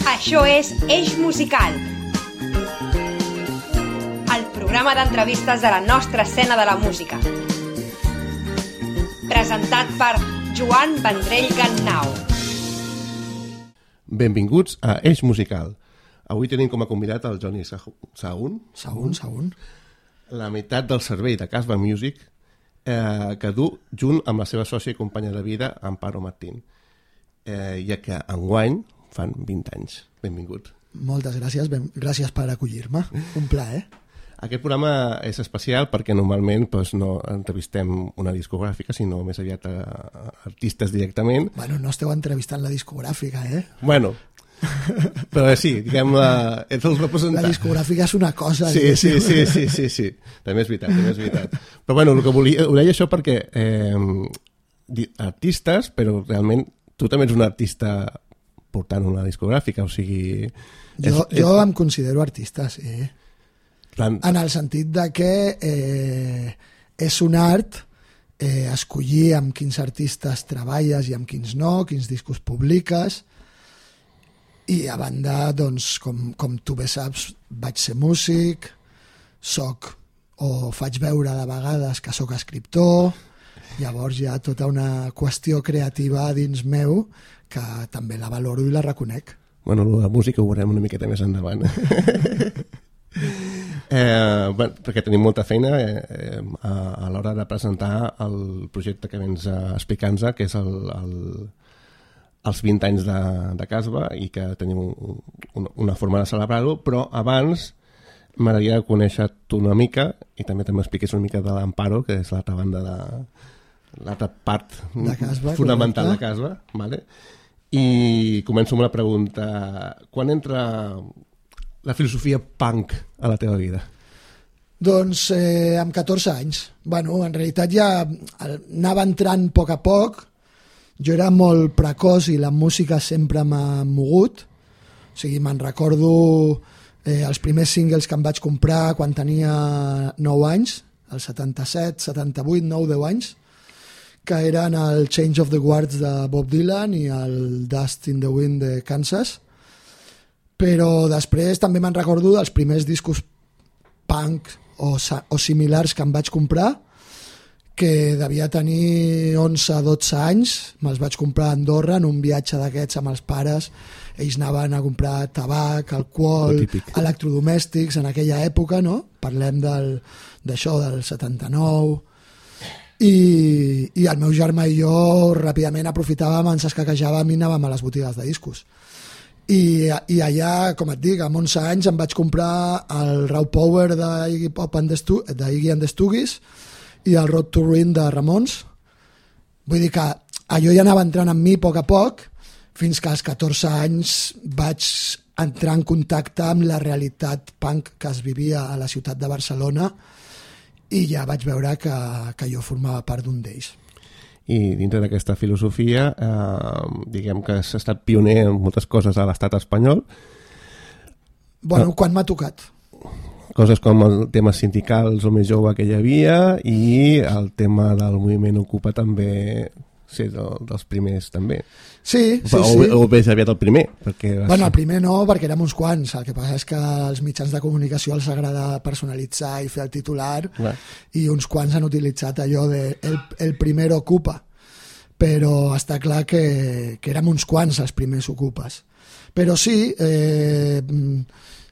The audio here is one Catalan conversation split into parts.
Això és Eix Musical, el programa d'entrevistes de la nostra escena de la música. Presentat per Joan Vendrell Gannau. Benvinguts a Eix Musical. Avui tenim com a convidat el Johnny Sahun, la meitat del servei de Casbah Music, que du junt amb la seva sòcia i companya de vida, Amparo Martín, ja que enguany fan 20 anys. Benvingut. Moltes gràcies, gràcies per acollir-me, un plaer. Aquest programa és especial perquè normalment no entrevistem una discogràfica, sinó més aviat a artistes directament. Bueno, no esteu entrevistant la discogràfica, eh? Bueno, però sí, diguem-la, ets el representant. La discogràfica és una cosa. Sí. També és veritat. Però bueno, el que ho deia això perquè artistes, però realment tu també ets un artista portant una discogràfica, o sigui... Jo em considero artista, sí. En el sentit de que és un art escollir amb quins artistes treballes i amb quins no, quins discos publiques, i a banda, doncs, com tu bé saps, vaig ser músic, faig veure de vegades que sóc escriptor, llavors hi ha tota una qüestió creativa dins meu que també la valoro i la reconec. Bueno, la música ho veurem una miqueta més endavant. Perquè tenim molta feina a l'hora de presentar el projecte que vens explicant-nos, que és els 20 anys de Casbah, i que tenim una forma de celebrar-ho, però abans m'agradaria conèixer-te una mica i també m'expliquis una mica de l'Amparo, que és l'altra banda l'altra part de Casbah, fonamental de Casbah, vale? I començo amb la pregunta: quan entra la filosofia punk a la teva vida? Doncs amb 14 anys. Bueno, en realitat ja anava entrant a poc. Jo era molt precoç i la música sempre m'ha mogut. O sigui, me'n recordo els primers singles que em vaig comprar quan tenia 9 anys, el 77, 78, 9, 10 anys, que eren el Change of the Guards de Bob Dylan i el Dust in the Wind de Kansas. Però després també me'n recordo dels primers discos punk o similars que em vaig comprar, que devia tenir 11-12 anys. Me'ls vaig comprar a Andorra en un viatge d'aquests amb els pares. Ells anaven a comprar tabac, alcohol, electrodomèstics en aquella època, no? Parlem d'això, del 79. I el meu germà i jo ràpidament aprofitàvem, ens escaquejàvem i anàvem a les botigues de discos. I allà, com et dic, amb 11 anys em vaig comprar el Raw Power d'Iggy and the Stooges i el Road to Ruin de Ramones. Vull dir que allò ja anava entrant en mi a poc, fins que als 14 anys vaig entrar en contacte amb la realitat punk que es vivia a la ciutat de Barcelona, i ja vaig veure que jo formava part d'un d'ells. I dintre d'aquesta filosofia, diguem que s'ha estat pioner en moltes coses a l'estat espanyol. Bueno, quan m'ha tocat. Coses com el tema sindicals o més jove que hi havia, i el tema del moviment Ocupa també ser dels primers també. Sí. O més aviat el primer. Bueno, el primer no, perquè érem uns quants. El que passa és que als mitjans de comunicació els agrada personalitzar i fer el titular. Clar. I uns quants han utilitzat allò de el primer Ocupa. Però està clar que érem uns quants els primers Ocupes. Però sí,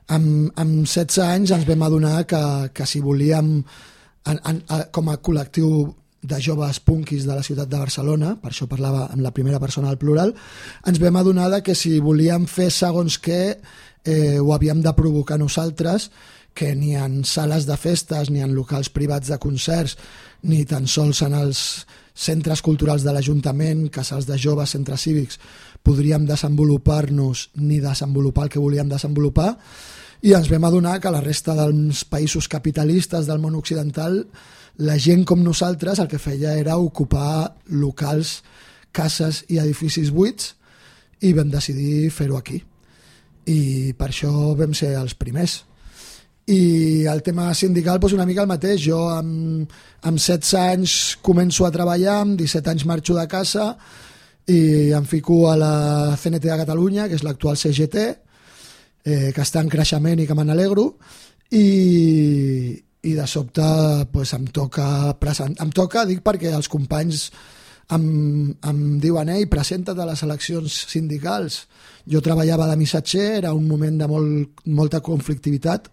amb 16 anys ens vam adonar que si volíem, com a col·lectiu de joves punkis de la ciutat de Barcelona, per això parlava en la primera persona del plural, ens vam adonar que si volíem fer segons què ho havíem de provocar nosaltres, que ni en sales de festes, ni en locals privats de concerts, ni tan sols en els centres culturals de l'Ajuntament, casals de joves, centres cívics, podríem desenvolupar-nos ni desenvolupar el que volíem desenvolupar, i ens vam adonar que la resta dels països capitalistes del món occidental, la gent com nosaltres el que feia era ocupar locals, cases i edificis buits, i vam decidir fer-ho aquí. I per això vam ser els primers. I el tema sindical, doncs una mica el mateix. Jo amb 16 anys començo a treballar, amb 17 anys marxo de casa i em fico a la CNT de Catalunya, que és l'actual CGT, que està en creixement i que me n'alegro, i de sobte pues, em toca, dic perquè els companys em diuen presenta't a les eleccions sindicals. Jo treballava de missatger, era un moment de molta conflictivitat,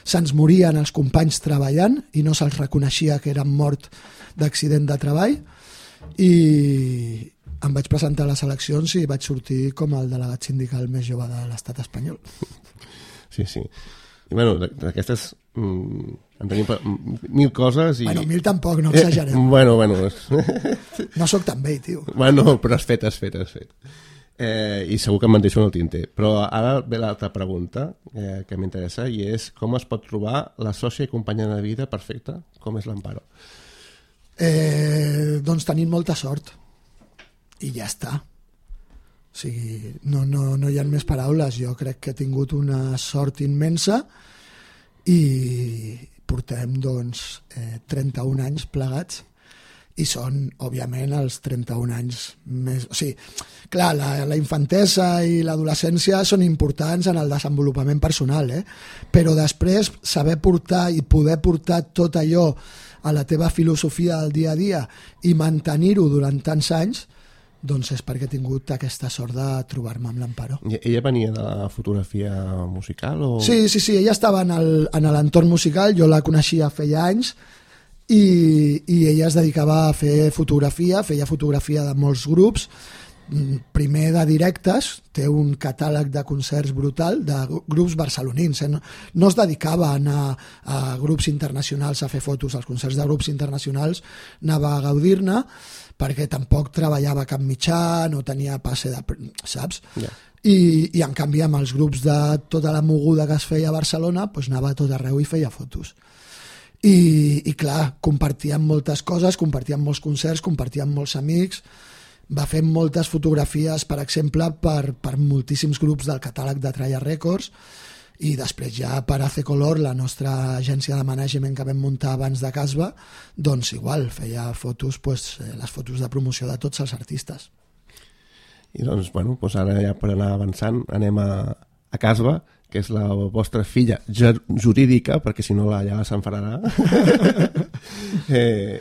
se'ns morien els companys treballant i no se'ls reconeixia que eren mort d'accident de treball, i em vaig presentar a les eleccions i vaig sortir com el delegat sindical més jove de l'estat espanyol. Sí. I bueno, d'aquestes en tenim 1000 coses i... Bueno, 1000 tampoc, no exagerem. Bueno. No sóc tan vell, tio. Bueno, però has fet. I segur que em deixo en el tinter. Però ara ve l'altra pregunta que m'interessa, i és com es pot trobar la sòcia i companya de vida perfecta, com és l'Amparo? Doncs tenim molta sort i ja està. O sigui, no hi ha més paraules. Jo crec que he tingut una sort immensa i portem 31 anys plegats, i són, òbviament, els 31 anys més... O sigui, clar, la infantesa i l'adolescència són importants en el desenvolupament personal, però després saber portar i poder portar tot allò a la teva filosofia del dia a dia i mantenir-ho durant tants anys, doncs és perquè he tingut aquesta sort de trobar-me amb l'Amparo. Ella venia de la fotografia musical? O... Sí, ella estava en l'entorn musical, jo la coneixia feia anys, i ella es dedicava a fer fotografia, feia fotografia de molts grups, primer de directes, té un catàleg de concerts brutal de grups barcelonins, no es dedicava a anar a grups internacionals a fer fotos, als concerts de grups internacionals anava a gaudir-ne, perquè tampoc treballava cap mitjà, no tenia passe de... saps? Yeah. I en canvi amb els grups de tota la moguda que es feia a Barcelona doncs anava a tot arreu i feia fotos. I clar, compartíem moltes coses, compartíem molts concerts, compartíem molts amics, va fer moltes fotografies, per exemple, per moltíssims grups del catàleg de Tralla Records, i després ja per AC Color, la nostra agència de management que vam muntar abans de Casba, doncs igual, feia fotos, les fotos de promoció de tots els artistes. I doncs, bueno, ara ja per anar avançant anem a Casba, que és la vostra filla jurídica, perquè si no ja s'enfadarà.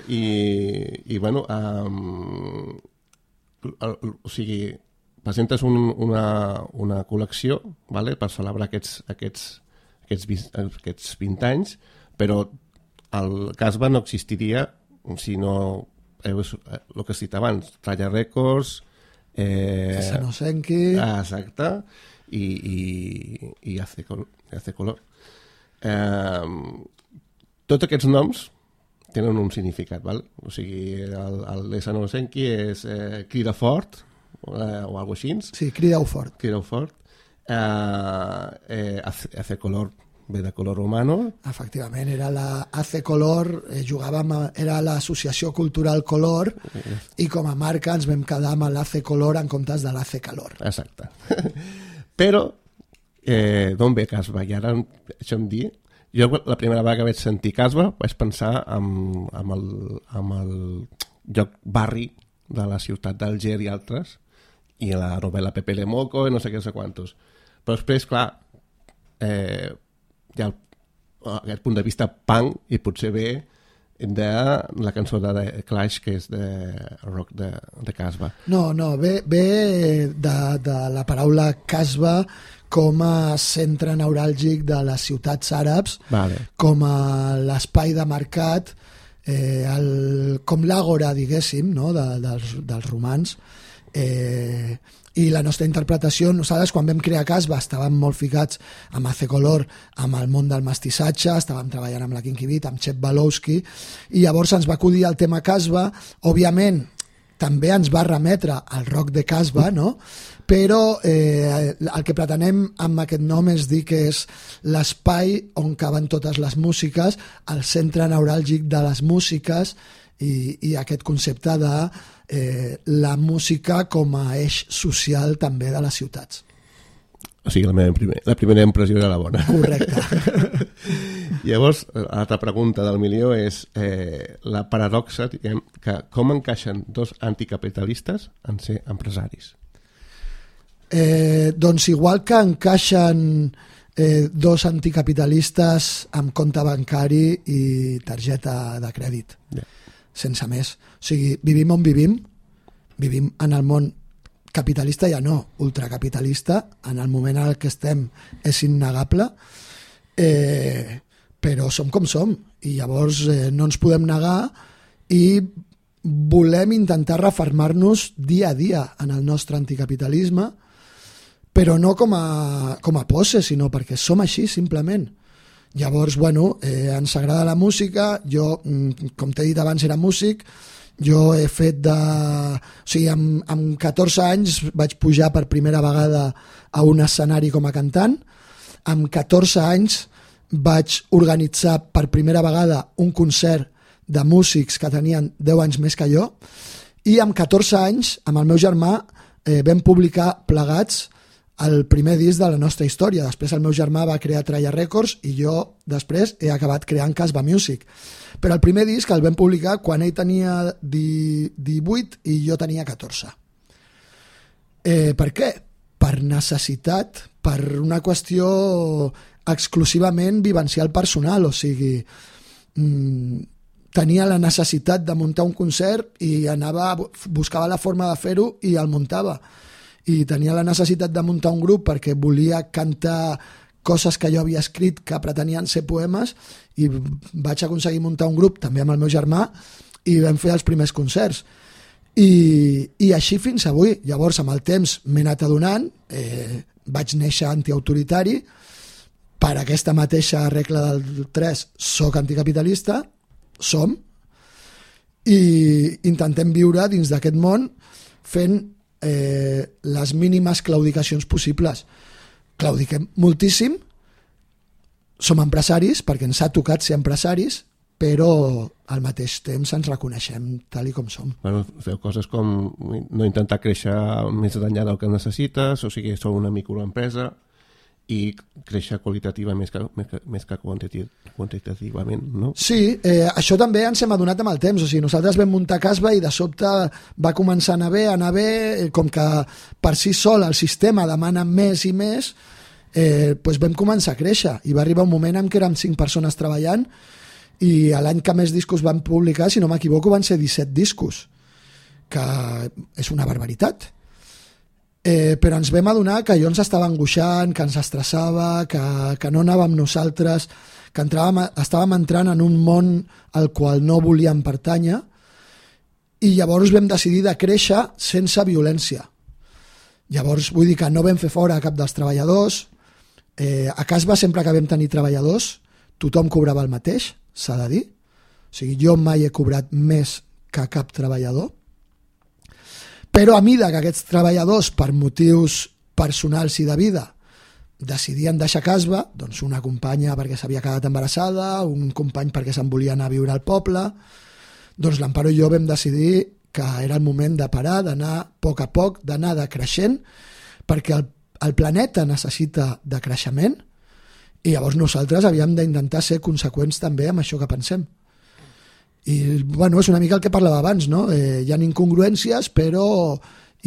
I bueno, o sigui, presentes una col·lecció, vale, per celebrar aquests 20 anys, però el Casba no existiria si no el que has dit abans, Tralla Records, Sanosenki, exacte, i AC Color. Tots aquests noms tenen un significat, val? O sigui, el de Sanosenki és crida fort, o alguna cosa així. Sí, crideu fort. AC Color ve de Color Humano. Efectivament, era la AC Color, era l'associació cultural Color, i com a marca ens vam quedar amb l'AC Color en comptes de l'AC Calor. Exacte. Però, d'on ve Casba? I ara, això em dir, jo la primera vegada que vaig sentir Casba vaig pensar en el lloc barri de la ciutat d'Alger i altres, i la novel·la Pepe Le Moco i no sé què, no sé quantos. Però després, clar, hi ha aquest punt de vista punk, i potser ve de la cançó de Clash, que és de rock de Casba. No, ve de la paraula Casba com a centre neuràlgic de les ciutats àrabs, vale, com a l'espai de mercat, com l'àgora, diguéssim, no? dels romans. I la nostra interpretació, nosaltres quan vam crear Casba estàvem molt ficats amb AC Color, amb el món del mestissatge, estàvem treballant amb la Kinky Beat, amb Chep Balowski, i llavors ens va acudir el tema Casba. Òbviament també ens va remetre al rock de Casba, no? Però el que pretenem amb aquest nom és dir que és l'espai on caben totes les músiques, el centre neuràlgic de les músiques, i aquest concepte de la música com a eix social també de les ciutats. O sigui, la primera impressió era la bona. Correcte. Llavors, l'altra pregunta del milió és la paradoxa, diguem, que com encaixen dos anticapitalistes en ser empresaris? Doncs igual que encaixen dos anticapitalistes amb compte bancari i targeta de crèdit, sense més. O sigui, vivim on vivim en el món capitalista, ja no, ultracapitalista, en el moment en el que estem és innegable, però som com som, i llavors no ens podem negar i volem intentar refermar-nos dia a dia en el nostre anticapitalisme, però no com a pose, sinó perquè som així, simplement. Llavors, bueno, ens agrada la música, jo, com t'he dit abans, era músic, jo he fet o sigui, amb 14 anys vaig pujar per primera vegada a un escenari com a cantant, amb 14 anys vaig organitzar per primera vegada un concert de músics que tenien 10 anys més que jo, i amb 14 anys, amb el meu germà, vam publicar plegats el primer disc de la nostra història. Després el meu germà va crear Tralla Records i jo després he acabat creant Casbah Music. Però el primer disc el vam publicar quan ell tenia 18 i jo tenia 14. Per què? Per necessitat, per una qüestió exclusivament vivencial personal, o sigui, tenia la necessitat de muntar un concert i buscava la forma de fer-ho i el muntava. I tenia la necessitat de muntar un grup perquè volia cantar coses que jo havia escrit que pretenien ser poemes, i vaig aconseguir muntar un grup també amb el meu germà i vam fer els primers concerts. I així fins avui. Llavors, amb el temps m'he anat adonant, vaig néixer antiautoritari, per aquesta mateixa regla del 3 soc anticapitalista, som, i intentem viure dins d'aquest món fent les mínimes claudicacions possibles. Claudiquem moltíssim, som empresaris perquè ens ha tocat ser empresaris, però al mateix temps ens reconeixem tal i com som. Bueno, feu coses com no intentar créixer més enllà del que necessites, o sigui, sou una microempresa, i créixer qualitativa més que quantitativament, no? Sí, això també ens hem adonat amb el temps. O sigui, nosaltres vam muntar Casbah i de sobte va començar a anar bé, com que per si sol el sistema demana més i més, doncs vam començar a créixer, i va arribar un moment en què érem 5 persones treballant, i l'any que més discos van publicar, si no m'equivoco, van ser 17 discos, que és una barbaritat. Però ens vam adonar que allò ens estava angoixant, que ens estressava, que no anàvem nosaltres, que estàvem entrant en un món al qual no volíem pertànyer, i llavors vam decidir de créixer sense violència. Llavors vull dir que no vam fer fora cap dels treballadors. A Casbah, sempre que vam tenir treballadors, tothom cobrava el mateix, s'ha de dir. O sigui, jo mai he cobrat més que cap treballador. Però a mida que aquests treballadors, per motius personals i de vida, decidien deixar Casbah, doncs una companya perquè s'havia quedat embarassada, un company perquè se'n volia anar a viure al poble, doncs l'Amparo i jo vam decidir que era el moment de parar, d'anar a poc, d'anar decreixent, perquè el planeta necessita de creixement, i llavors nosaltres havíem d'intentar ser conseqüents també amb això que pensem. I bueno, és una mica el que parlava abans, no? Hi ha incongruències, però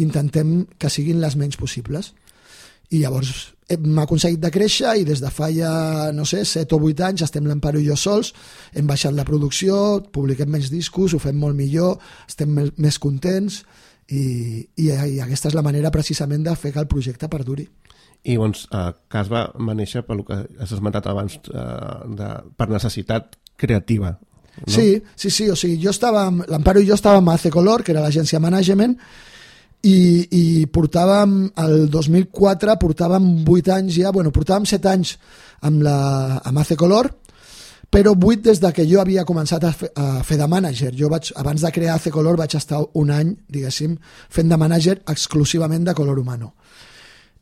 intentem que siguin les menys possibles. I llavors hem aconseguit de créixer, i des de fa ja, no sé, 7 o 8 anys estem l'Amparo i jo sols, hem baixat la producció, publiquem menys discos, ho fem molt millor, estem més contents, i aquesta és la manera precisament de fer que el projecte perduri. I doncs Casbah va néixer pel que has esmentat abans, per necessitat creativa. No? Sí, o sigui, l'Amparo i jo estàvem a AC Color, que era l'agència management, i portàvem, el 2004, portàvem 8 anys ja, portàvem 7 anys amb AC Color, però 8 des de que jo havia començat a fer de mànager. Jo abans de crear AC Color vaig estar un any, diguéssim, fent de mànager exclusivament de Color Humano.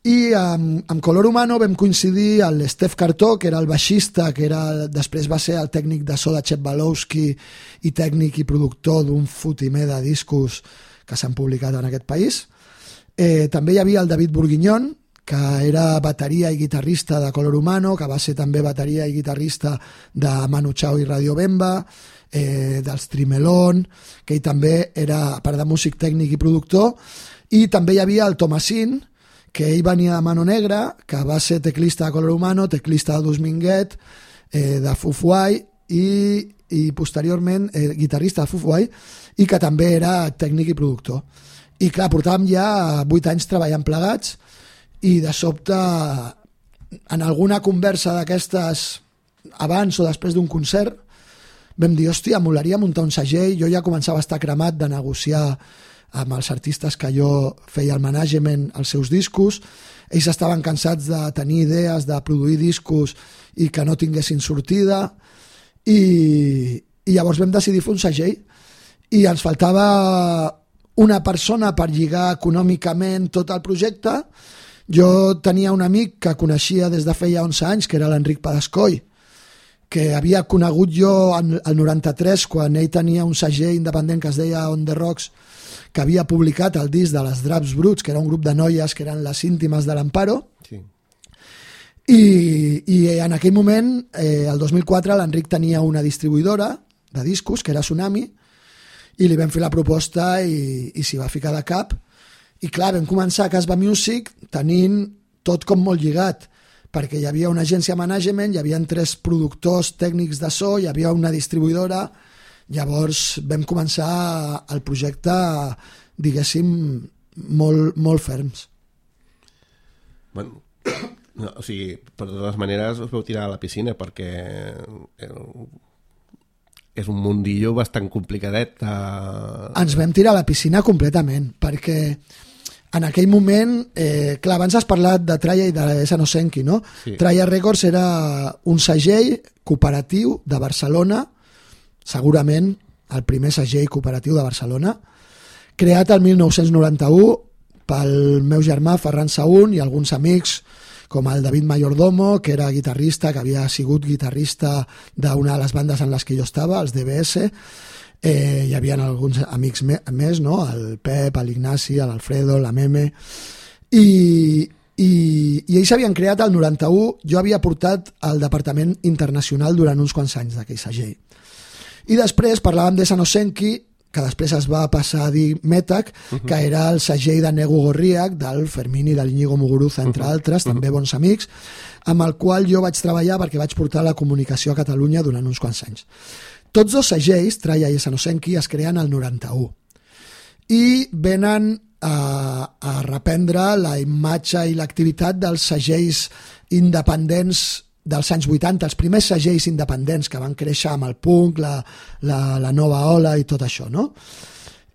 I amb Color Humano vam coincidir el Steph Cartó, que era el baixista, que després va ser el tècnic de so de Chet Balowski i tècnic i productor d'un fotimer de discos que s'han publicat en aquest país. També hi havia el David Bourguignon, que era bateria i guitarrista de Color Humano, que va ser també bateria i guitarrista de Manu Chao i Radio Bemba, dels Trimelón, que ell també era, a part de músic, tècnic i productor. I també hi havia el Thomasin, que ell venia de Mano Negra, que va ser teclista de Color Humano, teclista de Dus Minguet, de Foo Fighters i posteriorment guitarrista de Foo Fighters, i que també era tècnic i productor. I clar, portàvem ja 8 anys treballant plegats, i de sobte, en alguna conversa d'aquestes abans o després d'un concert, vam dir, hòstia, molaria muntar un segell. Jo ja començava a estar cremat de negociar amb els artistes que jo feia el management als seus discos. Ells estaven cansats de tenir idees, de produir discos i que no tinguessin sortida, i llavors vam decidir fer un segell, i ens faltava una persona per lligar econòmicament tot el projecte. Jo tenia un amic que coneixia des de feia 11 anys, que era l'Enric Padascoy, que havia conegut jo el 93, quan ell tenia un segell independent que es deia On The Rocks, que havia publicat el disc de les Draps Bruts, que era un grup de noies que eren les íntimes de l'Amparo. Sí. I en aquell moment, el 2004, l'Enric tenia una distribuïdora de discos, que era Tsunami, i li vam fer la proposta i s'hi va ficar de cap. I clar, vam començar a Casbah Music tenint tot com molt lligat, perquè hi havia una agència de management, hi havia 3 productors tècnics de so, hi havia una distribuïdora. Llavors vam començar el projecte, diguéssim, molt ferms. Bueno, no, o sigui, per totes maneres us vau tirar a la piscina, perquè és un mundillo bastant complicadet. Ens vam tirar a la piscina completament, perquè en aquell moment, clar, abans has parlat de Traya i de Sanosenki, no? Sí. Traya Records era un segell cooperatiu de Barcelona, segurament el primer segell cooperatiu de Barcelona, creat el 1991 pel meu germà Ferran Saún i alguns amics com el David Mayordomo, que era guitarrista, que havia sigut guitarrista d'una de les bandes en les que jo estava, els DBS. Hi havia alguns amics més, no? El Pep, l'Ignasi, l'Alfredo, la Meme, i ells s'havien creat el 91. Jo havia portat al departament internacional durant uns quants anys d'aquell segell. I després parlàvem de Sanosenki, que després es va passar a dir Metac, que era el segell de Nego Gorriak, del Fermín i de l'Iñigo Muguruza, entre altres, també bons amics, amb el qual jo vaig treballar perquè vaig portar la comunicació a Catalunya durant uns quants anys. Tots dos segells, Traya i Sanosenki, es creen al 91 i venen a reprendre la imatge i l'activitat dels segells independents dels anys 80, els primers segells independents que van créixer amb el punk, la nova ola i tot això, no?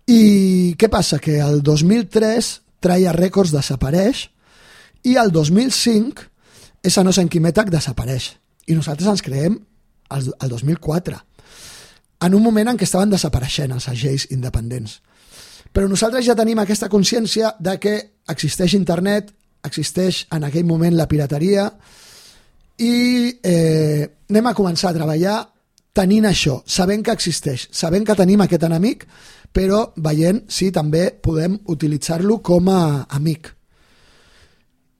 I què passa? Que el 2003 Traya Records desapareix i el 2005 Sanosenki Metac desapareix. I nosaltres ens creem el 2004, en un moment en què estaven desapareixent els segells independents. Però nosaltres ja tenim aquesta consciència de que existeix internet, existeix en aquell moment la pirateria, i anem a començar a treballar tenint això, sabent que existeix, sabent que tenim aquest enemic, però veient si també podem utilitzar-lo com a amic.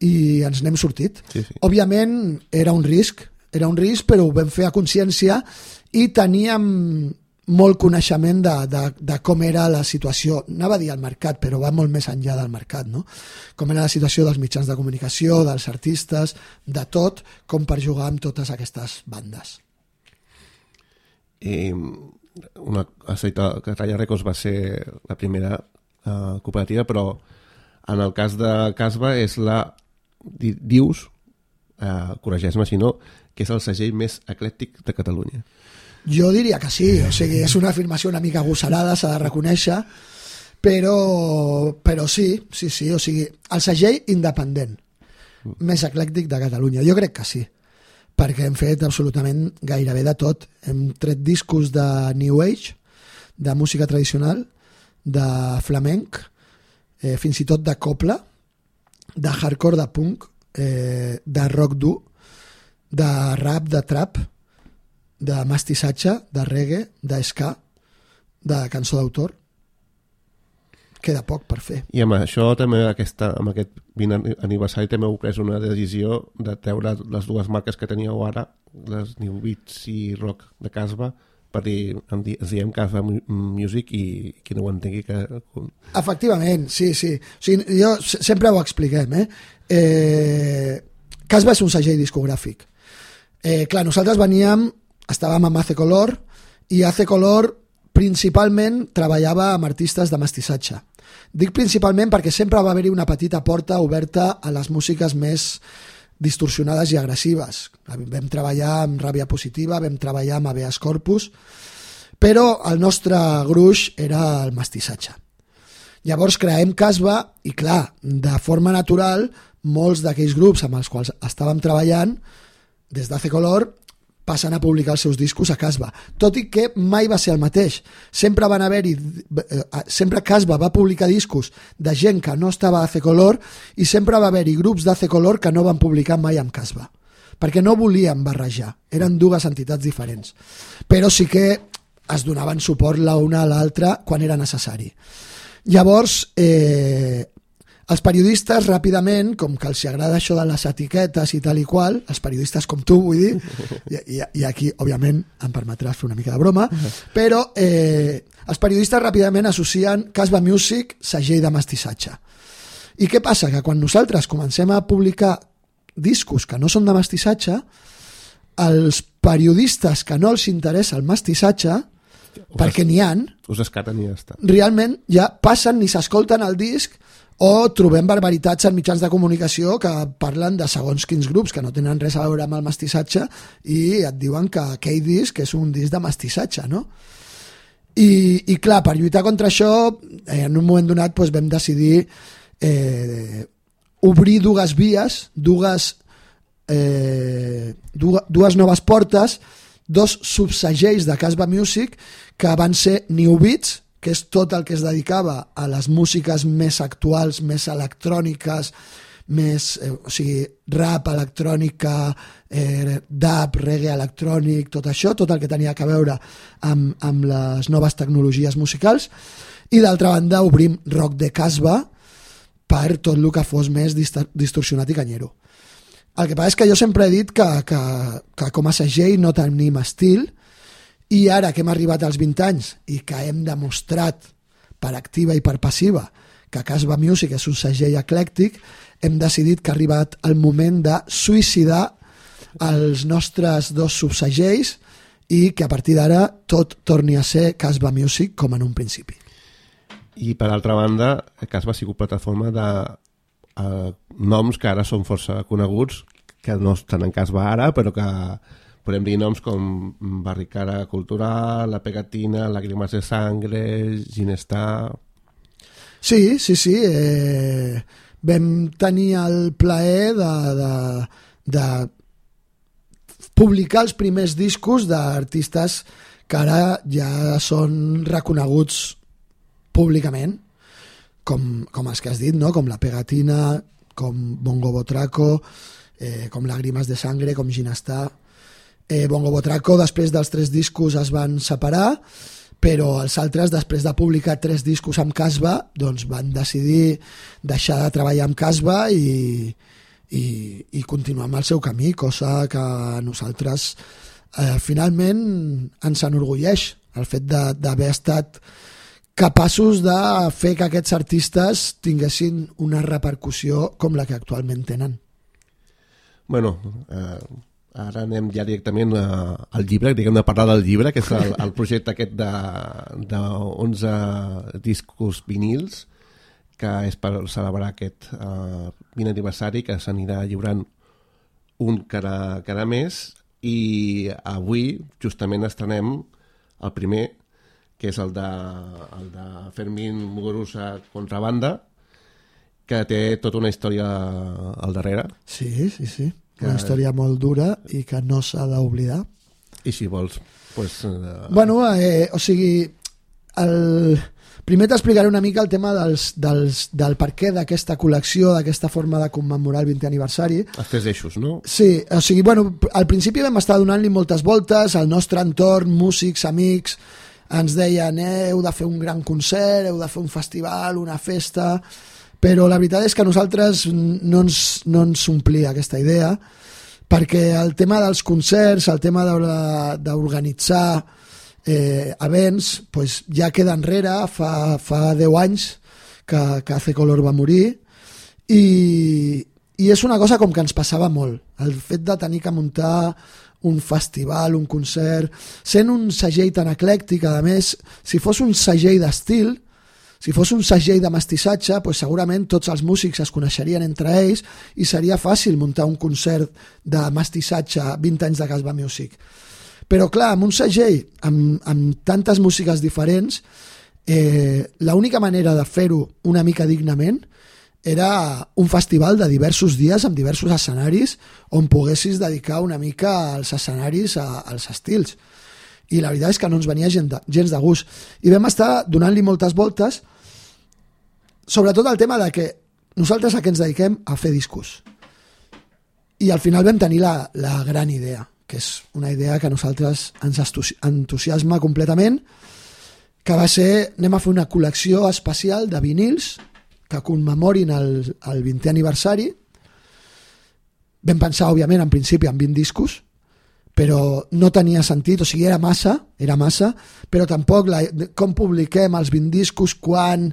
I ens n'hem sortit. Sí. Òbviament era un risc, però ho vam fer a consciència i teníem molt coneixement de com era la situació, anava a dir el mercat, però va molt més enllà del mercat, no? Com era la situació dels mitjans de comunicació, dels artistes, de tot, com per jugar amb totes aquestes bandes. Has dit que Traya Records va ser la primera cooperativa, però en el cas de Casbah és dius, corregeix-me si no, que és el segell més eclèctic de Catalunya. Jo diria que sí, o sigui, és una afirmació una mica agosarada, s'ha de reconèixer, però sí, o sigui, el segell independent més eclèctic de Catalunya, jo crec que sí, perquè hem fet absolutament gairebé de tot. Hem tret discos de New Age, de música tradicional, de flamenc, fins i tot de copla, de hardcore, de punk, de rock dur, de rap, de trap, de mestissatge, de reggae, de ska, de cançó d'autor. Queda poc per fer. I amb això també, amb aquest 20 aniversari, també heu pres una decisió de treure les dues marques que teníeu ara, les New Beats i Rock de Casbah, per dir, ens diem Casbah Music i qui no ho entengui que... Efectivament, sí. O sigui, jo sempre ho expliquem, Casbah és un segell discogràfic. Clar, nosaltres estàvem amb AC Color i AC Color principalment treballava amb artistes de mestissatge. Dic principalment perquè sempre va haver-hi una petita porta oberta a les músiques més distorsionades i agressives. Vam treballar amb Ràbia Positiva, vam treballar amb Habeas Corpus, però el nostre gruix era el mestissatge. Llavors creem Casbah i, clar, de forma natural, molts d'aquells grups amb els quals estàvem treballant des d'AC Color passen a publicar els seus discos a Casbah, tot i que mai va ser el mateix. Sempre Casbah va publicar discos de gent que no estava a AC Color i sempre va haver-hi grups d'AC Color que no van publicar mai amb Casbah, perquè no volien barrejar, eren dues entitats diferents, però sí que es donaven suport l'una a l'altra quan era necessari. Llavors, els periodistes ràpidament, com que els agrada això de les etiquetes i tal i qual, els periodistes com tu, vull dir, i aquí òbviament em permetràs fer una mica de broma, però els periodistes ràpidament associen Casbah Music, segell de mestissatge. I què passa? Que quan nosaltres comencem a publicar discos que no són de mestissatge, els periodistes que no els interessa el mestissatge, perquè n'hi ha, us escaten i ja està. Realment ja passen ni s'escolten el disc o trobem barbaritats en mitjans de comunicació que parlen de segons quins grups que no tenen res a veure amb el mestissatge i et diuen que aquell disc és un disc de mestissatge, no? I clar, per lluitar contra això, en un moment donat vam decidir obrir dues vies, dues noves portes, dos subsegells de Casbah Music que van ser New Beats, que és tot el que es dedicava a les músiques més actuals, més electròniques, més, o sigui, rap, electrònica, dub, reggae electrònic, tot això, tot el que tenia a veure amb les noves tecnologies musicals, i d'altra banda obrim rock de Casbah per tot el que fos més distorsionat i canyero. El que passa és que jo sempre he dit que com a segell no tenim estil, i ara que hem arribat als 20 anys i que hem demostrat per activa i per passiva que Casbah Music és un segell eclèctic, hem decidit que ha arribat el moment de suïcidar els nostres dos subsegells i que a partir d'ara tot torni a ser Casbah Music com en un principi. I per altra banda, Casbah ha sigut plataforma de noms que ara són força coneguts, que no estan en Casbah ara, però que podem dir noms com Barricada Cultural, La Pegatina, Lágrimas de Sangre, Ginestar... Sí. Vam tenir el plaer de publicar els primers discos d'artistes que ara ja són reconeguts públicament, com els que has dit, no? Com La Pegatina, com Bongo Botraco, com Lágrimas de Sangre, com Ginestar... Bongo Botraco després dels 3 discos es van separar, però els altres, després de publicar 3 discos amb Casbah, doncs van decidir deixar de treballar amb Casbah i continuar amb el seu camí, cosa que a nosaltres finalment ens enorgulleix el fet d'haver estat capaços de fer que aquests artistes tinguessin una repercussió com la que actualment tenen. Bueno, ara anem ja directament al llibre, diguem de parlar del llibre, que és el projecte aquest de 11 discos vinils, que és per celebrar aquest 20 aniversari, que s'anirà lliurant un cada mes, i avui justament estrenem el primer, que és el de Fermín Muguruza Contrabanda, que té tota una història al darrere. Sí. Una història molt dura i que no s'ha d'oblidar. I si vols, doncs... Bueno, o sigui, primer t'explicaré una mica el tema del per què d'aquesta col·lecció, d'aquesta forma de commemorar el 20è aniversari. Els 3 eixos, no? Sí, o sigui, bueno, al principi vam estar donant-li moltes voltes, al nostre entorn, músics, amics, ens deien, heu de fer un gran concert, heu de fer un festival, una festa... Però la veritat és que a nosaltres no ens omplia aquesta idea, perquè el tema dels concerts, el tema d'organitzar events, pues, ja queda enrere, fa 10 anys que AC Color va morir, i és una cosa com que ens passava molt, el fet de tenir que muntar un festival, un concert, sent un segell tan eclèctic, a més, si fos un segell d'estil, si fos un segell de mestissatge, pues segurament tots els músics es coneixerien entre ells i seria fàcil muntar un concert de mestissatge 20 anys de Casbah Music. Però clar, amb un segell, amb tantes músiques diferents, l'única manera de fer-ho una mica dignament era un festival de diversos dies amb diversos escenaris on poguessis dedicar una mica als escenaris als estils. I la veritat és que no ens venia gens de gust. I vam estar donant-li moltes voltes, sobretot el tema de que nosaltres a què ens dediquem? A fer discos. I al final vam tenir la gran idea, que és una idea que a nosaltres ens entusiasma completament, que va ser, anem a fer una col·lecció especial de vinils que commemorin el 20è aniversari. Vam pensar, òbviament, en principi en 20 discos, però no tenia sentit, o sigui, era massa, però tampoc com publiquem els 20 discos, quan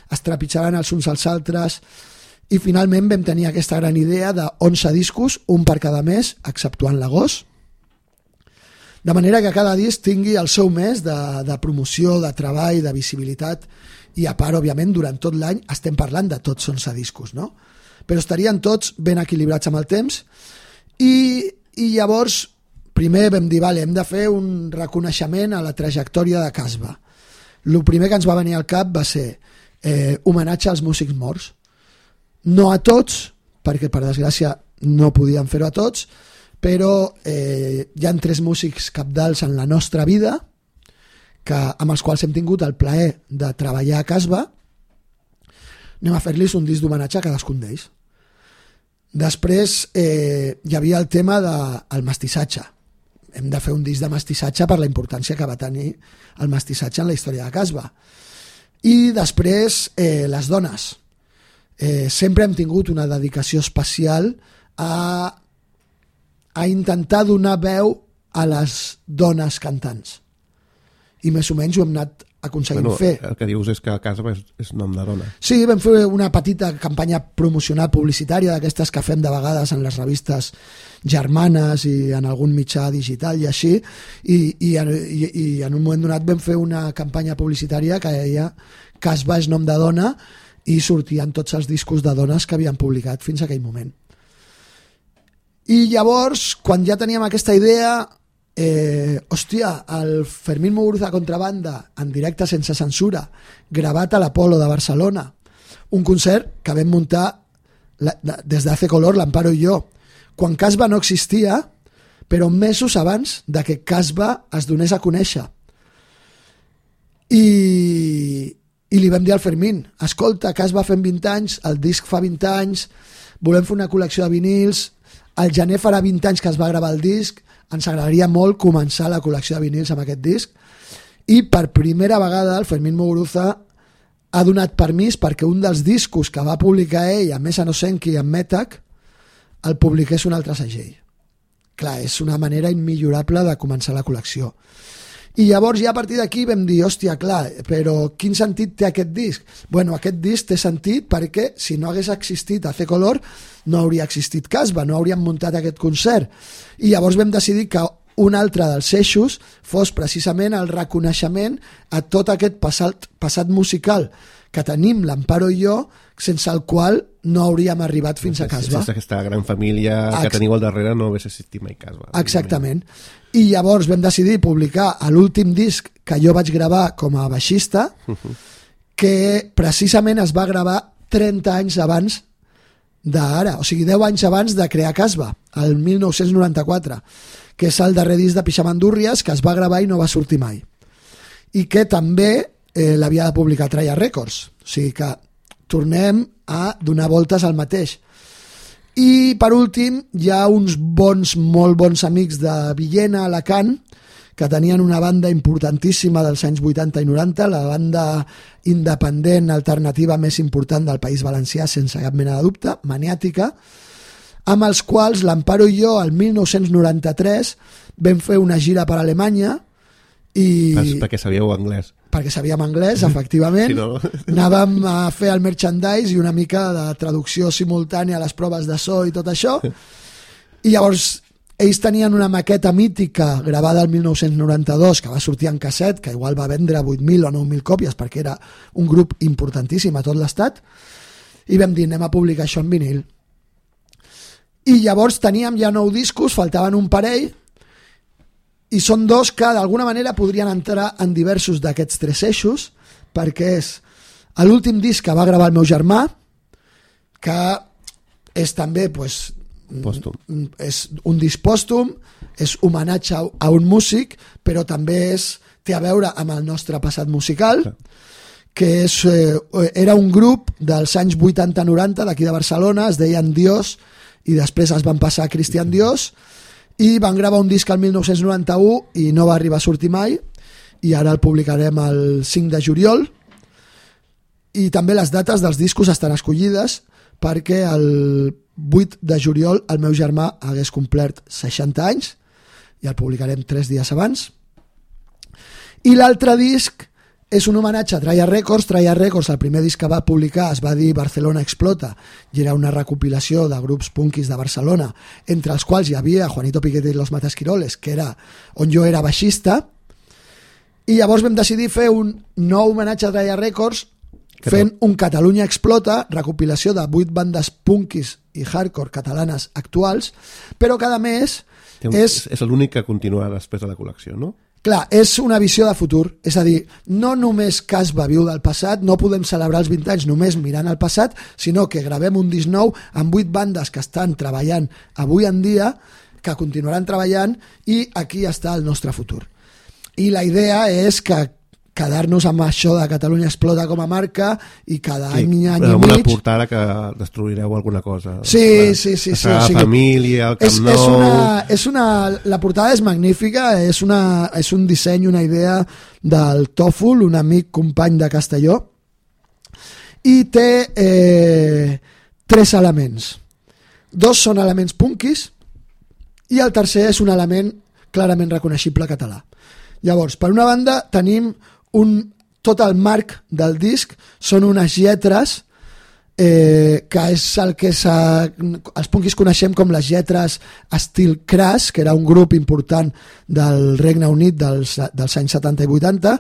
es trepitjaran els uns als altres, i finalment vam tenir aquesta gran idea de 11 discos, un per cada mes, exceptuant l'agost, de manera que cada disc tingui el seu mes de promoció, de treball, de visibilitat, i a part, òbviament, durant tot l'any estem parlant de tots 11 discos, no? Però estarien tots ben equilibrats amb el temps, i llavors primer vam dir, vale, hem de fer un reconeixement a la trajectòria de Casbah. El primer que ens va venir al cap va ser homenatge als músics morts. No a tots, perquè per desgràcia no podíem fer-ho a tots, però hi ha 3 músics cabdals en la nostra vida amb els quals hem tingut el plaer de treballar a Casbah. Anem a fer-los un disc d'homenatge a cadascun d'ells. Després hi havia el tema del mestissatge. Hem de fer un disc de mestissatge per la importància que va tenir el mestissatge en la història de Casbah. I després les dones. Sempre hem tingut una dedicació especial a intentar donar veu a les dones cantants. I més o menys ho hem anat aconseguint fer. El que dius és que Casbah és nom de dona. Sí, vam fer una petita campanya promocional publicitària d'aquestes que fem de vegades en les revistes germanes i en algun mitjà digital i així, i en un moment donat vam fer una campanya publicitària que deia Casbah és nom de dona, i sortien tots els discos de dones que havien publicat fins a aquell moment. I llavors, quan ja teníem aquesta idea, hòstia, el Fermín Muguruza Contrabanda en directe sense censura, gravat a l'Apolo de Barcelona, un concert que vam muntar des d'AC Color, l'Amparo i jo, quan Casbah no existia, però mesos abans de que Casbah es donés a conèixer. I li vam dir al Fermín, escolta, Casbah fem 20 anys, el disc fa 20 anys, volem fer una col·lecció de vinils, al gener farà 20 anys que es va gravar el disc, ens agradaria molt començar la col·lecció de vinils amb aquest disc, i per primera vegada el Fermín Muguruza ha donat permís perquè un dels discos que va publicar ell amb Mesa Nosenki i amb Metac el publiqués un altre segell. Clar, és una manera immillorable de començar la col·lecció. I llavors ja a partir d'aquí vam dir, hòstia, clar, però quin sentit té aquest disc? Bueno, aquest disc té sentit perquè si no hagués existit AC Color no hauria existit Casbah, no hauríem muntat aquest concert. I llavors vam decidir que un altre dels eixos fos precisament el reconeixement a tot aquest passat musical que tenim l'Amparo i jo, sense el qual no hauríem arribat fins a Casbah. Sense aquesta gran família que teniu al darrere no hagués existit mai Casbah. Exactament. I llavors vam decidir publicar l'últim disc que jo vaig gravar com a baixista, que precisament es va gravar 30 anys abans d'ara, o sigui 10 anys abans de crear Casbah, el 1994, que és el darrer disc de Pixamandúrries que es va gravar i no va sortir mai, i que també l'havia de publicar Traya Records, o sigui que tornem a donar voltes al mateix. I per últim hi ha uns molt bons amics de Villena, Alacant, que tenien una banda importantíssima dels anys 80 i 90, la banda independent alternativa més important del País Valencià, sense cap mena de dubte, Maniàtica, amb els quals l'Amparo i jo el 1993 vam fer una gira per Alemanya Perquè sabíeu anglès. Perquè sabíem anglès, efectivament. Si no... Anàvem a fer el merchandise i una mica de traducció simultània a les proves de so i tot això. I llavors ells tenien una maqueta mítica gravada el 1992 que va sortir en casset, que igual va vendre 8.000 o 9.000 còpies perquè era un grup importantíssim a tot l'estat, i vam dir anem a publicar això en vinil. I llavors teníem ja 9 discos, faltaven un parell, i són 2 que d'alguna manera podrien entrar en diversos d'aquests 3 eixos, perquè és l'últim disc que va gravar el meu germà, que és també pòstum. És un disc pòstum, és homenatge a un músic, però també té a veure amb el nostre passat musical, que era un grup dels anys 80-90 d'aquí de Barcelona, es deien Dios, i després es van passar a Cristian Dios, i van gravar un disc el 1991 i no va arribar a sortir mai, i ara el publicarem el 5 de juliol, i també les dates dels discos estan escollides perquè el 8 de juliol el meu germà hagués complert 60 anys i el publicarem 3 dies abans. I l'altre disc és un homenatge a Traya Records. Traya Records, el primer disc que va publicar es va dir Barcelona Explota i era una recopilació de grups punkis de Barcelona, entre els quals hi havia Juanito Piquete i los Matasquiroles, que era on jo era baixista, i llavors vam decidir fer un nou homenatge a Traya Records fent un Catalunya Explota, recopilació de 8 bandes punkis i hardcore catalanes actuals, però cada mes és l'únic que continua després de la col·lecció, no? Clar, és una visió de futur, és a dir, no només Casba viu del passat, no podem celebrar els 20 anys només mirant al passat, sinó que gravem un disc nou amb 8 bandes que estan treballant avui en dia, que continuaran treballant, i aquí està el nostre futur. I la idea és que quedar-nos amb això de Catalunya Explota com a marca i cada any i mig... Amb una portada que destruireu alguna cosa. Sí. La família, el Camp Nou... La portada és magnífica, és un disseny, una idea del Tòfol, un amic company de Castelló, i té 3 elements. 2 són elements punkis i el tercer és un element clarament reconeixible català. Llavors, per una banda, tenim tot el marc del disc són unes lletres que és el que els punkis coneixem com les lletres estil Crash, que era un grup important del Regne Unit dels anys 70 i 80.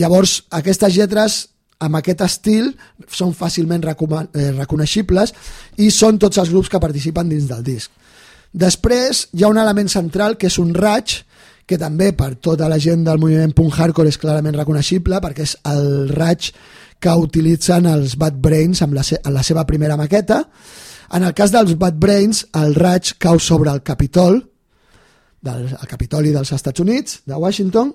Llavors aquestes lletres amb aquest estil són fàcilment reconeixibles i són tots els grups que participen dins del disc. Després hi ha un element central que és un raig, que també per tota la gent del moviment punk hardcore és clarament reconeixible perquè és el raig que utilitzen els Bad Brains en la seva primera maqueta. En el cas dels Bad Brains, el raig cau sobre el Capitol, el Capitoli dels Estats Units, de Washington,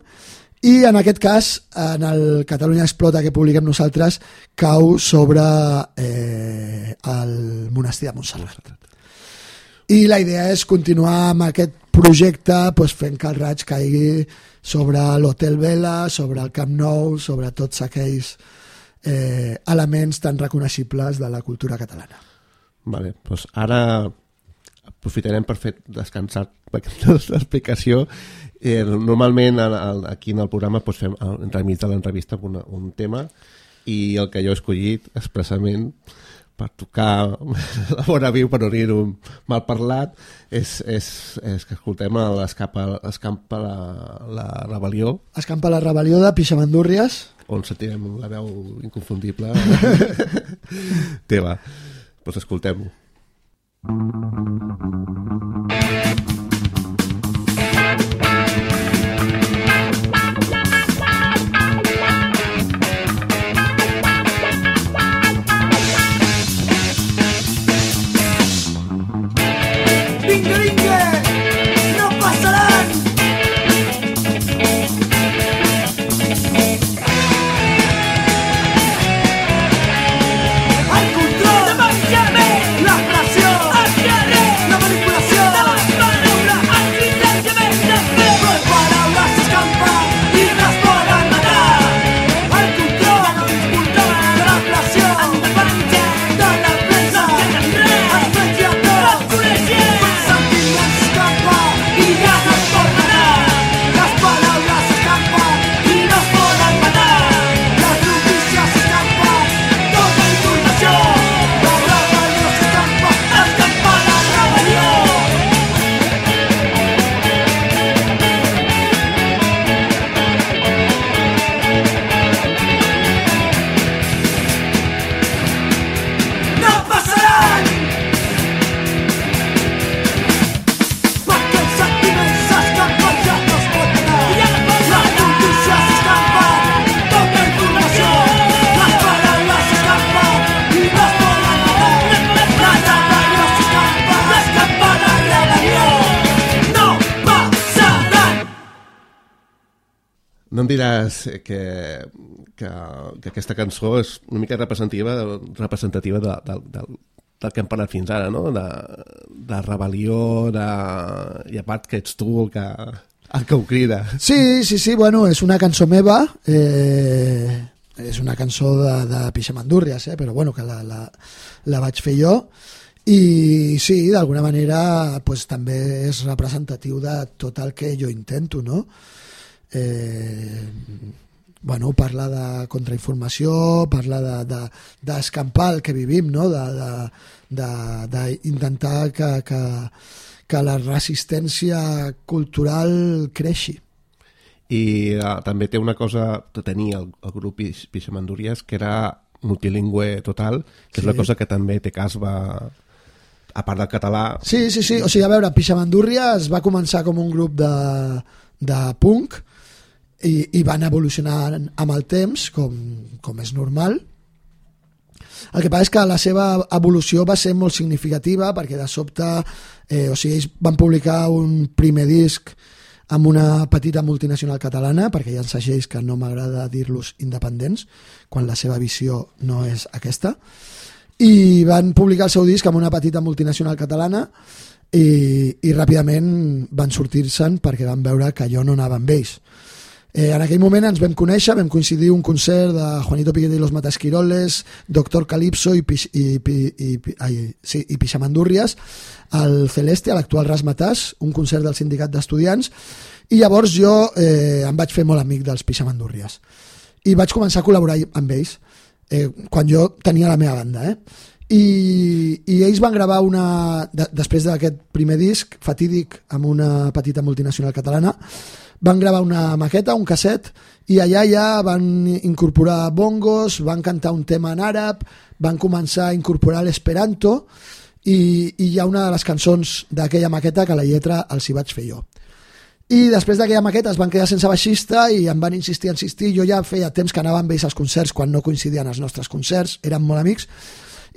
i en aquest cas, en el Catalunya Explota que publiquem nosaltres, cau sobre el monestir de Montserrat. I la idea és continuar amb aquest projecte fent que el raig caigui sobre l'Hotel Vela, sobre el Camp Nou, sobre tots aquells elements tan reconeixibles de la cultura catalana. Vale, doncs ara aprofitarem per fer descansar aquesta explicació. Normalment aquí en el programa fem entremig de l'entrevista un tema i el que jo he escollit expressament per tocar la bona viu, per no dir-ho mal parlat, és que escoltem Escampa la rebel·lió. Escampa la rebel·lió de Pixamandúrries. On sentirem la veu inconfundible teva. Doncs escoltem-ho. No em diràs que aquesta cançó és una mica representativa del que hem parlat fins ara, no? De rebel·lió, i a part que ets tu el que ho crida. Sí, bueno, és una cançó meva, és una cançó de Pixamandúrries, però bueno, que la vaig fer jo, i sí, d'alguna manera pues, també és representatiu de tot el que jo intento, no? Bueno, parla de contrainformació, parla d'escampar el que vivim, no? D'intentar que la resistència cultural creixi. I també té una cosa, tenia el grup Pixamandúrries, que era multilingüe total, que és una cosa que també té Casba, a part del català. Sí, o sigui, a veure, Pixamandúrries va començar com un grup de punk i van evolucionar amb el temps, com és normal. El que passa és que la seva evolució va ser molt significativa perquè de sobte, ells van publicar un primer disc amb una petita multinacional catalana, perquè hi ha segells que no m'agrada dir-los independents, quan la seva visió no és aquesta, i van publicar el seu disc amb una petita multinacional catalana i ràpidament van sortir-se'n perquè van veure que jo no anava amb ells. En aquell moment ens vam conèixer, vam coincidir un concert de Juanito Piquete i los Matasquiroles, Doctor Calypso i Pixamandúrries al Celeste, a l'actual Razzmatazz, un concert del sindicat d'estudiants, i llavors jo em vaig fer molt amic dels Pixamandúrries i vaig començar a col·laborar amb ells quan jo tenia la meva banda, i ells van gravar després d'aquest primer disc fatídic amb una petita multinacional catalana, van gravar una maqueta, un casset, i allà ja van incorporar bongos, van cantar un tema en àrab, van començar a incorporar l'esperanto, i hi ha una de les cançons d'aquella maqueta que la lletra els hi vaig fer jo. I després d'aquella maqueta es van quedar sense baixista i em van insistir, jo ja feia temps que anava amb ells als concerts quan no coincidien els nostres concerts, érem molt amics,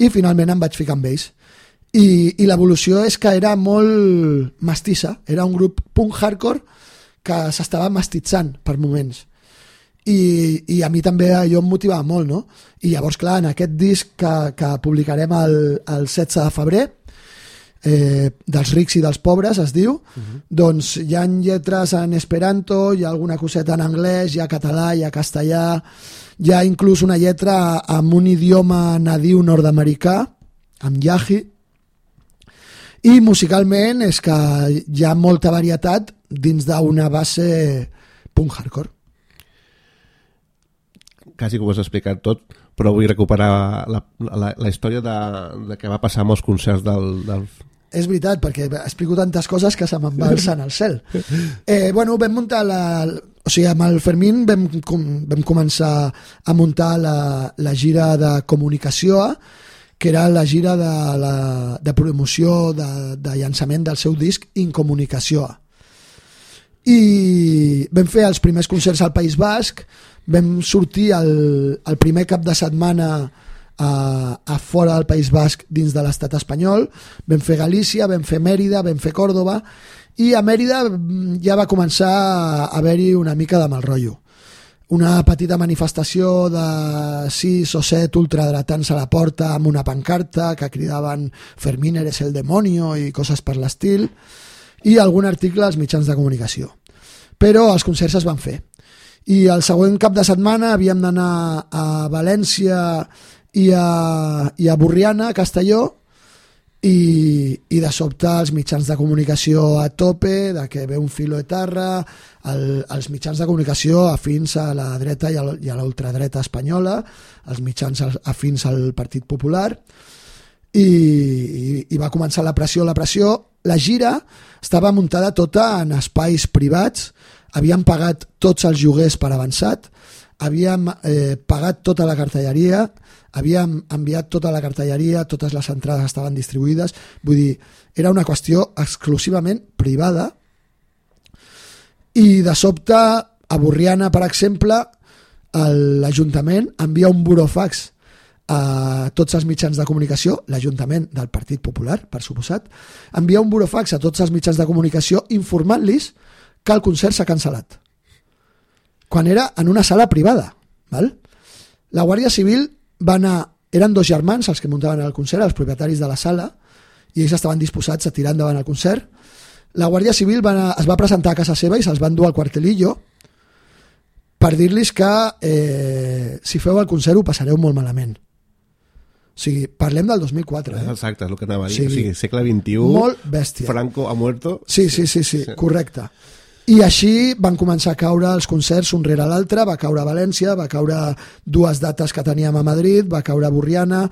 i finalment em vaig ficar amb ells. I l'evolució és que era molt mestissa, era un grup punk hardcore que s'estava mestitzant per moments, i a mi també allò em motivava molt, no? I llavors, clar, en aquest disc que publicarem el 16 de febrer, dels rics i dels pobres es diu, doncs hi ha lletres en esperanto, hi ha alguna coseta en anglès, hi ha català, hi ha castellà, hi ha inclús una lletra amb un idioma nadiu nord-americà, amb yahi, i musicalment és que hi ha molta varietat dins d'una base punk hardcore. Quasi que ho has explicat tot, però vull recuperar la història de què va passar amb els concerts del... És veritat, perquè explico tantes coses que se m'embalsen al cel. Bueno, vam muntar o sigui, amb el Fermín vam començar a muntar la gira de comunicació, que era la gira de promoció de llançament del seu disc Incomunicació. I vam fer els primers concerts al País Basc, vam sortir el primer cap de setmana a fora del País Basc dins de l'estat espanyol, vam fer Galícia, vam fer Mèrida, vam fer Còrdova, i a Mèrida ja va començar a haver-hi una mica de mal rotllo. Una petita manifestació de 6 o 7 ultradretans a la porta amb una pancarta que cridaven Fermín eres el demonio i coses per l'estil, i algun article als mitjans de comunicació. Però els concerts es van fer. I el següent cap de setmana havíem d'anar a València i a Borriana, a Castelló, i de sobte els mitjans de comunicació a tope, de que ve un filo etarra, els mitjans de comunicació afins a la dreta i a l'ultradreta espanyola, els mitjans afins al Partit Popular, i va començar la pressió. La gira estava muntada tota en espais privats, havíem pagat tots els lloguers per avançat, havíem pagat tota la cartelleria, havíem enviat tota la cartelleria, totes les entrades estaven distribuïdes, vull dir, era una qüestió exclusivament privada, i de sobte a Borriana, per exemple, l'Ajuntament envia un burofax a tots els mitjans de comunicació, l'Ajuntament del Partit Popular, per suposat, envia un burofax a tots els mitjans de comunicació informant-los que el concert s'ha cancel·lat. quan era en una sala privada. Val? La Guàrdia Civil va anar... Eren 2 germans els que muntaven el concert, els propietaris de la sala, i ells estaven disposats a tirar endavant el concert. La Guàrdia Civil es va presentar a casa seva i se'ls van dur al Cuartelillo per dir-los que si feu el concert ho passareu molt malament. O sigui, parlem del 2004. Exacte, és el que anava a dir. O sigui, segle XXI, molt bèstia. Franco ha muerto. Sí, correcte. I així van començar a caure els concerts un rere l'altre, va caure a València, va caure 2 dates que teníem a Madrid, va caure a Borriana,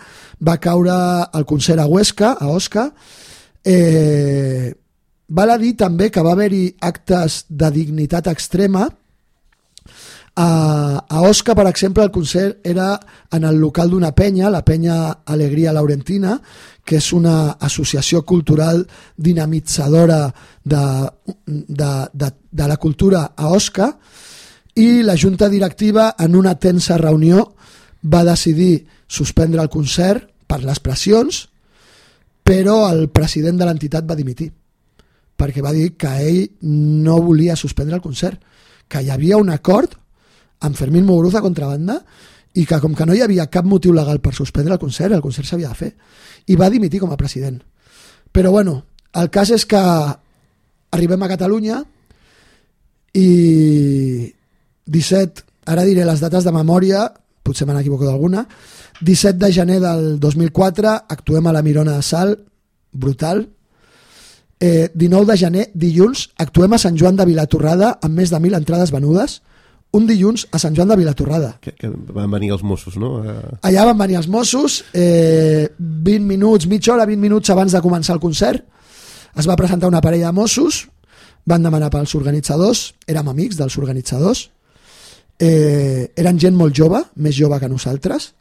va caure el concert a Huesca, a Osca. Val a dir també que va haver-hi actes de dignitat extrema. A Osca, per exemple, el concert era en el local d'una penya, la penya Alegria Laurentina, que és una associació cultural dinamitzadora de la cultura a Osca, i la junta directiva, en una tensa reunió, va decidir suspendre el concert per les pressions, però el president de l'entitat va dimitir, perquè va dir que ell no volia suspendre el concert, que hi havia un acord amb Fermín Muguruza contrabanda i que com que no hi havia cap motiu legal per suspendre el concert s'havia de fer, i va dimitir com a president. Però bueno, el cas és que arribem a Catalunya i 17, ara diré les dates de memòria, potser me n'equivoco d'alguna, 17 de gener del 2004 actuem a la Mirona de Salt, brutal. 19 de gener, dilluns, actuem a Sant Joan de Vilatorrada amb més de 1.000 entrades venudes. Un dilluns a Sant Joan de Vilatorrada. Que van venir els Mossos, no? Allà van venir els Mossos, 20 minuts, mitja hora, 20 minuts abans de començar el concert. Es va presentar una parella de Mossos, van demanar pels organitzadors, érem amics dels organitzadors, eren gent molt jove, més jove que nosaltres,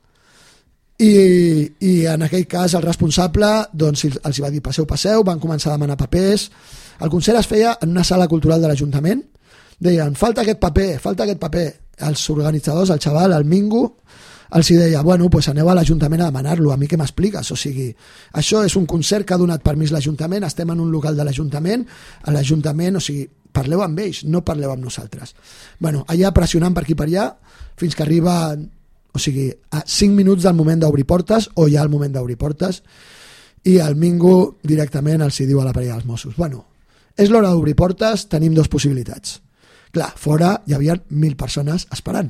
i en aquell cas el responsable doncs, els va dir passeu, van començar a demanar papers. El concert es feia en una sala cultural de l'Ajuntament. Deien, falta aquest paper. Els organitzadors, el xaval, el Mingo, els deia, bueno, pues aneu a l'Ajuntament a demanar-lo, a mi què m'expliques? O sigui, això és un concert que ha donat permís l'Ajuntament, estem en un local de l'Ajuntament, a l'Ajuntament, o sigui, parleu amb ells, no parleu amb nosaltres. Bueno, allà pressionant per aquí per allà, fins que arriba, o sigui, a 5 minuts del moment d'obrir portes, o ja el moment d'obrir portes, i el Mingo directament els diu a la parella dels Mossos, bueno, és l'hora d'obrir portes, tenim 2 possibilitats. Clar, fora hi havia 1.000 persones esperant.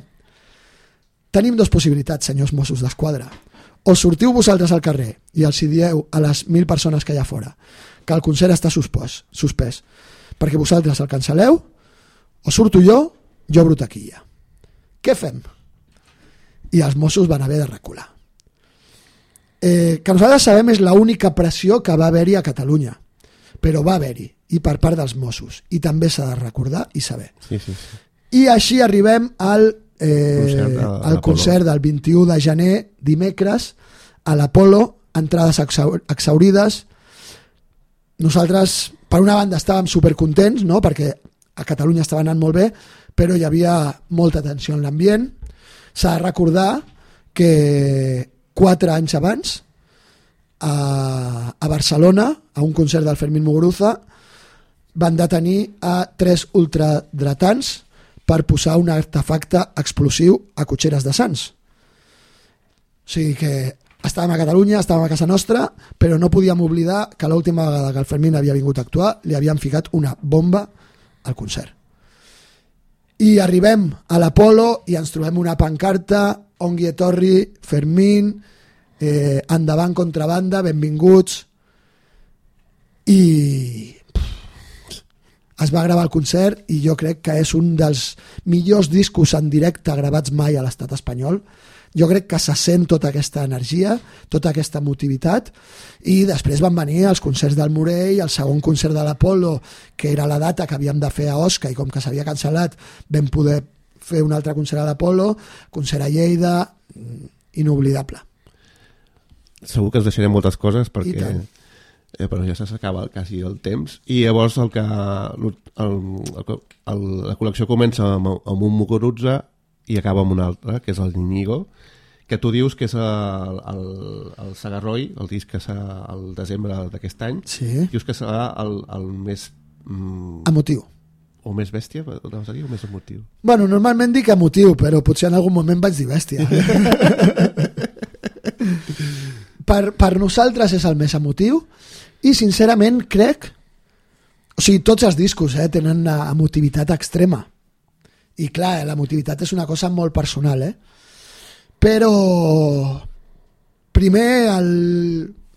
Tenim 2 possibilitats, senyors Mossos d'Esquadra. O sortiu vosaltres al carrer i els dieu a les 1.000 persones que hi ha fora que el concert està suspès perquè vosaltres el cancel·leu, o surto jo obro taquilla. Què fem? I els Mossos van haver de recular. Que nosaltres sabem és l'única pressió que va haver-hi a Catalunya, però va haver-hi, i per part dels Mossos, i també s'ha de recordar i saber. Sí. I així arribem al concert del 21 de gener, dimecres, a l'Apolo, entrades exhaurides. Nosaltres, per una banda, estàvem supercontents, no? Perquè a Catalunya estava anant molt bé, però hi havia molta tensió en l'ambient. S'ha de recordar que 4 anys abans, a Barcelona, a un concert del Fermín Muguruza, van detenir a 3 ultradretans per posar un artefacte explosiu a Cotxeres de Sants. O sigui que estàvem a Catalunya, estàvem a casa nostra, però no podíem oblidar que l'última vegada que el Fermín havia vingut a actuar li havien ficat una bomba al concert. I arribem a l'Apolo i ens trobem una pancarta, Ongi etorri, Fermín, endavant contrabanda, benvinguts, i es va gravar el concert i jo crec que és un dels millors discos en directe gravats mai a l'estat espanyol. Jo crec que se sent tota aquesta energia, tota aquesta emotivitat, i després van venir els concerts del Morell, el segon concert de l'Apolo, que era la data que havíem de fer a Osca, i com que s'havia cancel·lat vam poder fer un altre concert a l'Apolo, concert a Lleida, inoblidable. Segur que ens deixarem moltes coses perquè però ja s'acaba quasi el temps, i llavors la col·lecció comença amb un Muguruza i acaba amb un altre, que és el Íñigo, que tu dius que és el Sagarroi, el disc que serà el desembre d'aquest any. Sí. Dius que serà el més emotiu, O més bèstia, vols dir, o més emotiu? Bueno, normalment dic emotiu, però potser en algun moment vaig dir bèstia. per nosaltres és el més emotiu i sincerament crec, o sigui, tots els discos tenen una emotivitat extrema i clar, l'emotivitat és una cosa molt personal, però primer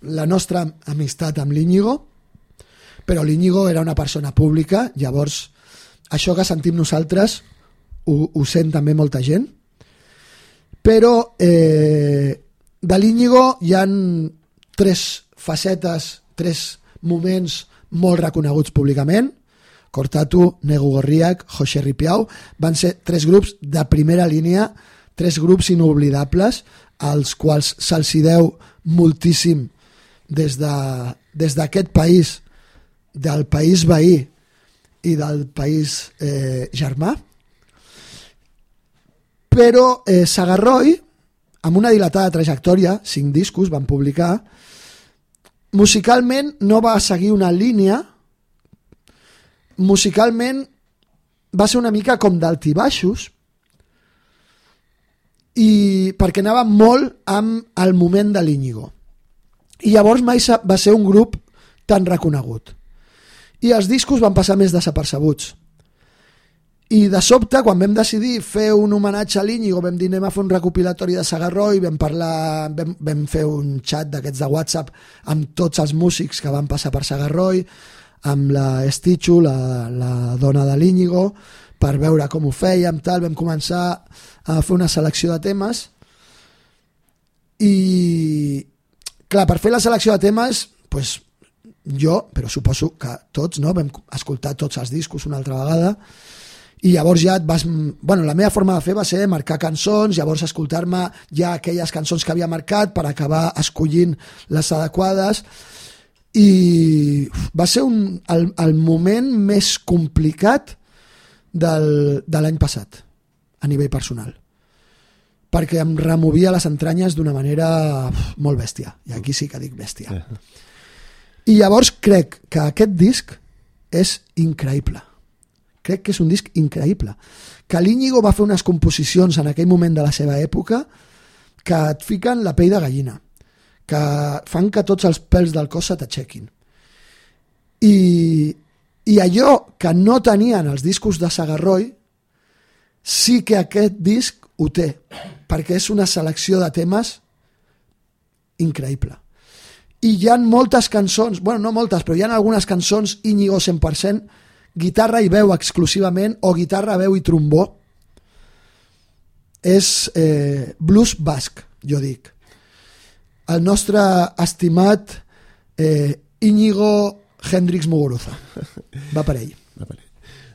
la nostra amistat amb l'Íñigo, però l'Íñigo era una persona pública, llavors això que sentim nosaltres ho sent també molta gent, però de l'Íñigo hi ha 3 facetes, 3 moments molt reconeguts públicament. Cortatu, Negu Gorriak, José Ripiau van ser 3 grups de primera línia, 3 grups inoblidables als quals se'ls deu moltíssim des d'aquest país, del país veí i del país germà. Però Sagarroi, amb una dilatada trajectòria, 5 discos van publicar, musicalment no va seguir una línia, musicalment va ser una mica com d'altibaixos, i perquè anava molt amb el moment de l'Íñigo. I llavors mai va ser un grup tan reconegut. I els discos van passar més desapercebuts. I de sobte, quan vam decidir fer un homenatge a l'Íñigo, vam dir anem a fer un recopilatori de Sagarroi, vam fer un xat d'aquests de WhatsApp amb tots els músics que van passar per Sagarroi, amb la Estichu, la dona de l'Íñigo, per veure com ho fèiem, tal. Vam començar a fer una selecció de temes i, clar, per fer la selecció de temes, doncs, jo, però suposo que tots, no? Vam escoltar tots els discos una altra vegada i llavors ja la meva forma de fer va ser marcar cançons, llavors escoltar-me ja aquelles cançons que havia marcat per acabar escollint les adequades, i va ser el moment més complicat de l'any passat a nivell personal, perquè em removia les entranyes d'una manera molt bèstia, i aquí sí que dic bèstia. I llavors crec que aquest disc és increïble. Crec que és un disc increïble. Que l'Íñigo va fer unes composicions en aquell moment de la seva època que et fiquen la pell de gallina, que fan que tots els pèls del cos se t'aixequin. I allò que no tenien els discos de Sagarroi, sí que aquest disc ho té, perquè és una selecció de temes increïble. I hi ha moltes cançons, bueno, no moltes, però hi ha algunes cançons Íñigo 100%, guitarra i veu exclusivament, o guitarra, veu i trombó. És blues basc, jo dic. El nostre estimat Íñigo Hendrix Muguruza. Va per ell.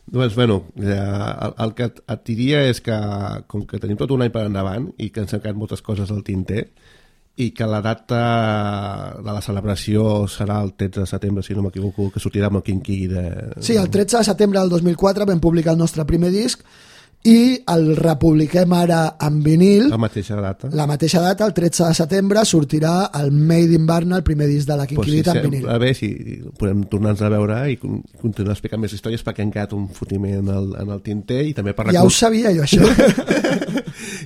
Doncs, bueno, el que et diria és que, com que tenim tot un any per endavant i que ens han quedat moltes coses al tinter, i que la data de la celebració serà el 13 de setembre, si no m'equivoco, que sortirà amb el Quinquí de... Sí, el 13 de setembre del 2004 vam publicar el nostre primer disc i el republiquem ara en vinil. La mateixa data. La mateixa data, el 13 de setembre, sortirà el Made in Barna, el primer disc de la Quinquilita en vinil. A veure si podem tornar-nos a veure i continuar explicant més històries, perquè han quedat un fotiment en el tinter i també per Ja ho sabia jo, això.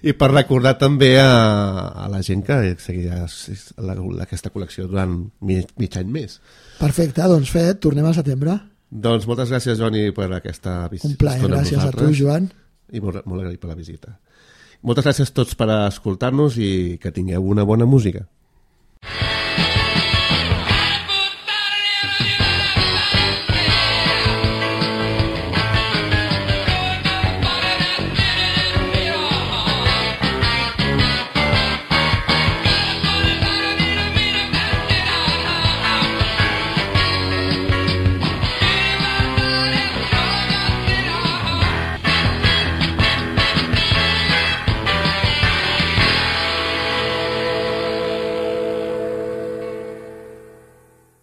I per recordar també a la gent que seguirà aquesta col·lecció durant mig any més. Perfecte, doncs fet, tornem al setembre. Doncs moltes gràcies, Joani, per aquesta visita. Un plaer, gràcies a tu, Joan. I molt agraït per la visita. Moltes gràcies a tots per escoltar-nos i que tingueu una bona música.